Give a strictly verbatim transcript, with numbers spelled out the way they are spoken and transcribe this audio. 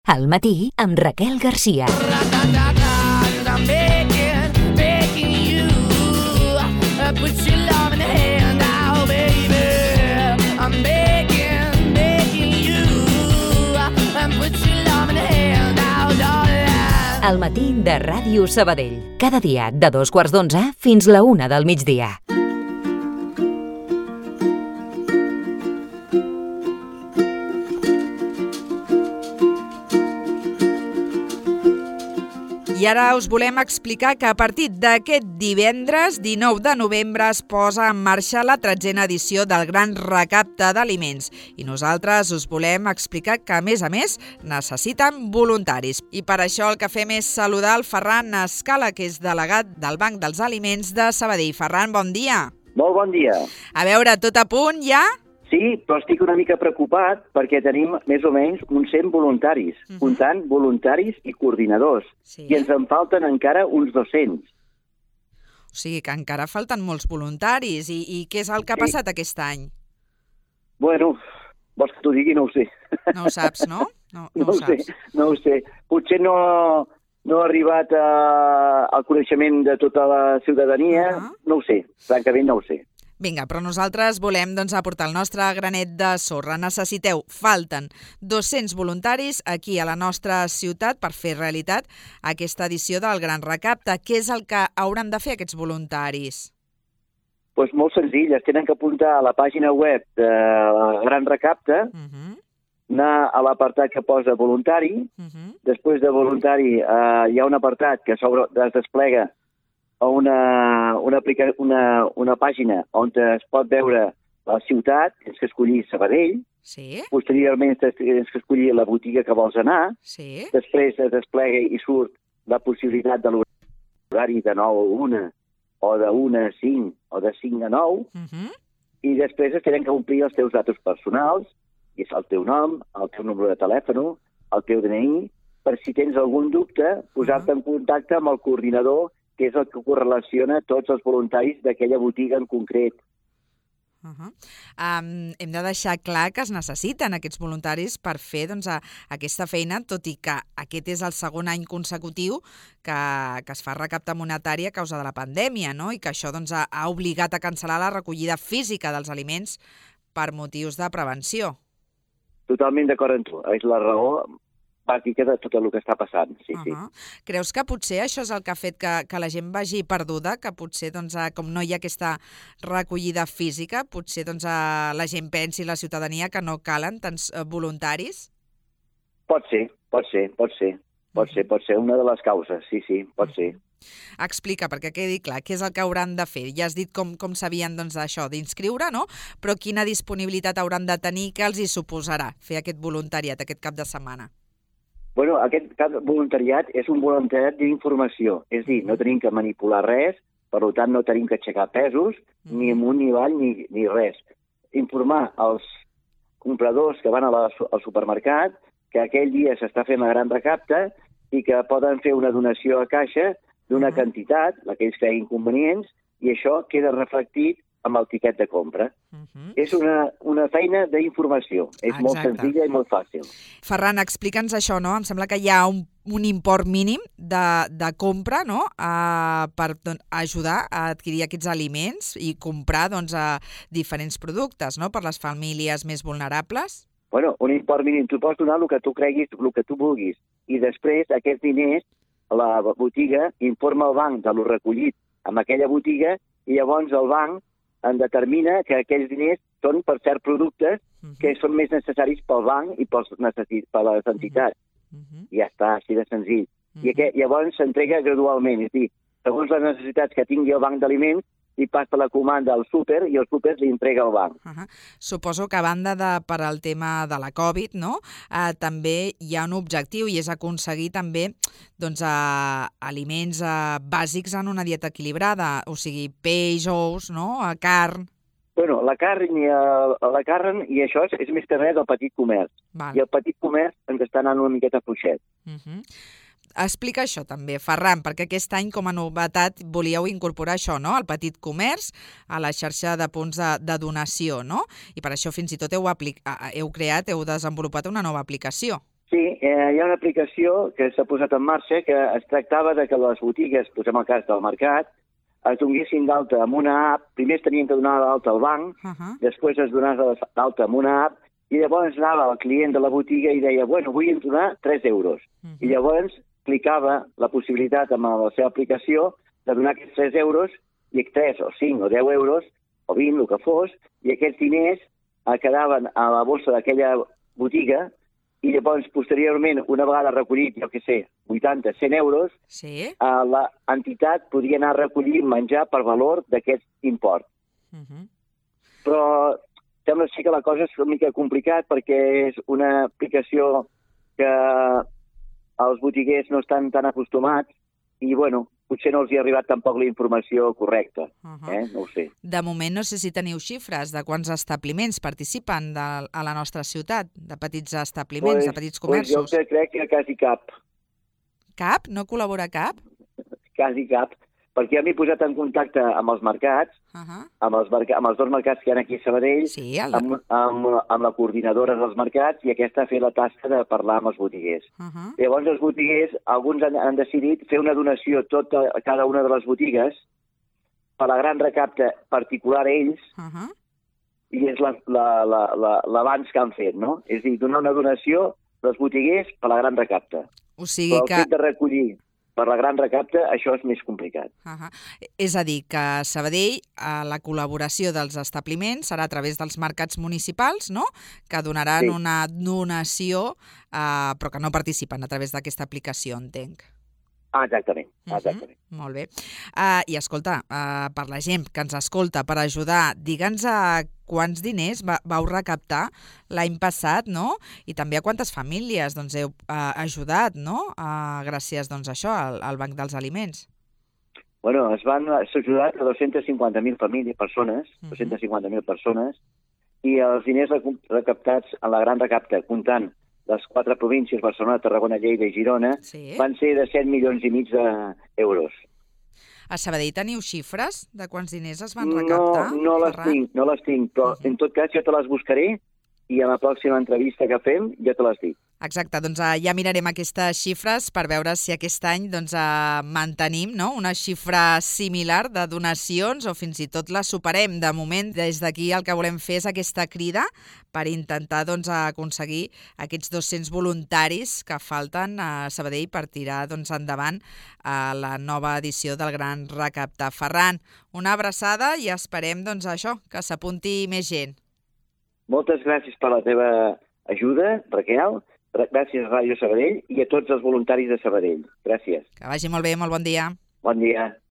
Al matí amb Raquel Garcia. Al matí de Ràdio Sabadell. Cada dia de dos quarts d'onze fins la una del migdia. I ara us volem explicar que a partir d'aquest divendres, dinou de novembre, es posa en marxa la tretzena edició del Gran Recapte d'Aliments. I nosaltres us volem explicar que, a més a més, necessiten voluntaris. I per això el que fem és saludar el Ferran Escala, que és delegat del Banc dels Aliments de Sabadell. Ferran, bon dia. Molt bon dia. A veure, tot a punt ja? Sí, però estic una mica preocupat perquè tenim més o menys uns cent voluntaris, uh-huh. comptant voluntaris i coordinadors, sí. I ens en falten encara uns dos-cents. O sigui que encara falten molts voluntaris. I, i què és el que ha sí. passat aquest any? Bueno, vols que t'ho digui? No ho sé. No ho saps, no? No, no, no ho ho saps. sé, no ho sé. Potser no, no ha arribat a, al coneixement de tota la ciutadania, uh-huh. no ho sé, francament no ho sé. Vinga, però nosaltres volem doncs, aportar el nostre granet de sorra. Necessiteu, falten dos-cents voluntaris aquí a la nostra ciutat per fer realitat aquesta edició del Gran Recapte. Què és el que hauran de fer aquests voluntaris? Pues molt senzill, es tenen que apuntar a la pàgina web del Gran Recapte, uh-huh. anar a l'apartat que posa voluntari, uh-huh. després de voluntari eh, hi ha un apartat que sobre, es desplega a una, una, una, una pàgina on es pot veure la ciutat, tens que escollir Sabadell, sí. Posteriorment tens que escollir la botiga que vols anar, sí. Després es desplega i surt la possibilitat de l'horari de nou a una, o de una a cinc, o de cinc a nou, uh-huh. i després es tenen que omplir els teus datos personals, i és el teu nom, el teu número de telèfon, el teu D N I, per si tens algun dubte, posar-te uh-huh. en contacte amb el coordinador, que és el que correlaciona tots els voluntaris d'aquella botiga en concret. Uh-huh. Um, hem de deixar clar que es necessiten aquests voluntaris per fer doncs, a, aquesta feina, tot i que aquest és el segon any consecutiu que, que es fa recapte monetari a causa de la pandèmia, no? I que això doncs, ha, ha obligat a cancel·lar la recollida física dels aliments per motius de prevenció. Totalment d'acord amb tu. És la raó bàsica de tot el que està passant, sí, uh-huh. sí. Creus que potser això és el que ha fet que, que la gent vagi perduda, que potser, doncs, com no hi ha aquesta recollida física, potser doncs, la gent pensi, la ciutadania, que no calen tants voluntaris? Pot ser, pot ser, pot ser, pot ser, pot ser una de les causes, sí, sí, pot ser. Explica, perquè quedi clar, què és el que hauran de fer? Ja has dit com, com s'havien doncs, això d'inscriure, no? Però quina disponibilitat hauran de tenir, què els hi suposarà fer aquest voluntariat aquest cap de setmana? Bueno, aquest voluntariat és un voluntariat d'informació, és a dir, no tenim que manipular res, per tant no tenim que aixecar pesos, ni amunt ni avall, ni, ni res. Informar els compradors que van a la, al supermercat que aquell dia s'està fent la gran recapte i que poden fer una donació a caixa d'una quantitat, la que ells creguin convenients, i això queda reflectit amb el tiquet de compra. Uh-huh. És una, una feina d'informació. És Exacte. Molt senzilla i molt fàcil. Ferran, explica'ns això, no? Em sembla que hi ha un, un import mínim de, de compra, no?, uh, per doncs, ajudar a adquirir aquests aliments i comprar doncs, a diferents productes, no?, per les famílies més vulnerables. Bueno, un import mínim. Tu pots donar el que tu creguis, el que tu vulguis. I després, aquests diners, la botiga informa el banc de lo recollit amb aquella botiga i llavors el banc en determina que aquells diners són per certs productes que són més necessaris pel banc i pels necessit, per les entitats. Uh-huh. I ja està, així de senzill. Uh-huh. I aquest, llavors s'entrega gradualment, és a dir, segons les necessitats que tingui el banc d'aliments, li passa la comanda al súper i el súper li entrega al banc. Uh-huh. Suposo que a banda de per al tema de la Covid, no? Eh, també hi ha un objectiu i és aconseguir també doncs, eh, aliments eh, bàsics en una dieta equilibrada, o sigui, peix, ous, no? Eh, carn. Bueno, la carn, i, uh, la carn i això és, és més que res del petit comerç. Val. I el petit comerç ens està anant una miqueta fluixet. Uh-huh. Explica això també, Ferran, perquè aquest any com a novetat volíeu incorporar això, no?, el petit comerç a la xarxa de punts de, de donació, no? I per això fins i tot heu, aplic- heu creat, heu desenvolupat una nova aplicació. Sí, eh, hi ha una aplicació que s'ha posat en marxa que es tractava de que les botigues, posem el cas del mercat, es donessin d'alta amb una app. Primer es tenien que donar d'alta al banc, Uh -huh. després es donava d'alta amb una app, i llavors anava el client de la botiga i deia, bueno, vull donar tres euros. Uh -huh. I llavors clicava la possibilitat amb la seva aplicació de donar aquests tres euros, i tres o cinc o deu euros, o vint, el que fos, i aquests diners eh, quedaven a la bossa d'aquella botiga, i llavors, posteriorment, una vegada recollit, jo què sé, vuitanta, cent euros, Sí. eh, l'entitat podia anar a recollir menjar per valor d'aquest import. Uh -huh. Però sembla sí que la cosa és una mica complicat perquè és una aplicació que els botiguers no estan tan acostumats i, bueno, potser no els hi ha arribat tampoc la informació correcta. Uh -huh. Eh? No ho sé. De moment no sé si teniu xifres de quants establiments participen de, a la nostra ciutat, de petits establiments, de petits Pues jo comerços. crec que quasi cap, Cap? No col·labora cap? quasi cap, perquè ja m'he posat en contacte amb els mercats, Uh -huh. amb els, merc amb els dos mercats que hi ha aquí a Sabadell, Sí, el... amb, amb, amb la coordinadora dels mercats, i aquesta ha fet la tasca de parlar amb els botiguers. Uh -huh. Llavors els botiguers, alguns han, han decidit fer una donació tota, a cada una de les botigues per la gran recapte particular a ells, Uh -huh. i és l'avanç la, la, la, l'avanç que han fet, no? És a dir, donar una donació dels botiguers per la gran recapte. O sigui Però el que... fet de recollir per la gran recapte, això és més complicat. Uh -huh. És a dir, que a Sabadell eh, la col·laboració dels establiments serà a través dels mercats municipals, no?, que donaran Sí. una donació, eh, però que no participen a través d'aquesta aplicació, entenc. Ah, exactament, exactament. Uh -huh. Molt bé. Uh, I escolta, uh, per la gent que ens escolta, per ajudar, digue'ns a quants diners va, vau recaptar l'any passat, no? I també a quantes famílies doncs, heu uh, ajudat, no? Uh, gràcies doncs, a això, al, al Banc dels Aliments. Bueno, es van s'ha ajudat a dos-centes cinquanta mil famílies, persones, uh -huh. dos-centes cinquanta mil persones, i els diners recaptats en la gran recapta, comptant les quatre províncies, Barcelona, Tarragona, Lleida i Girona, Sí. van ser de set milions i mig d'euros. A Sabadell teniu xifres de quants diners es van No, recaptar? no les Ferran? tinc, no les tinc, però Uh -huh. en tot cas jo te les buscaré i a la pròxima entrevista que fem ja te les dic. Exacte, doncs uh, ja mirarem aquestes xifres per veure si aquest any doncs, uh, mantenim, no?, una xifra similar de donacions o fins i tot la superem. De moment, des d'aquí el que volem fer és aquesta crida per intentar doncs, aconseguir aquests dos-cents voluntaris que falten a Sabadell per tirar doncs, endavant uh, la nova edició del Gran Recapte. Ferran, una abraçada i esperem doncs, això, que s'apunti més gent. Moltes gràcies per la teva ajuda, Raquel. Gràcies a Ràdio Sabadell i a tots els voluntaris de Sabadell. Gràcies. Que vagi molt bé, molt bon dia. Bon dia.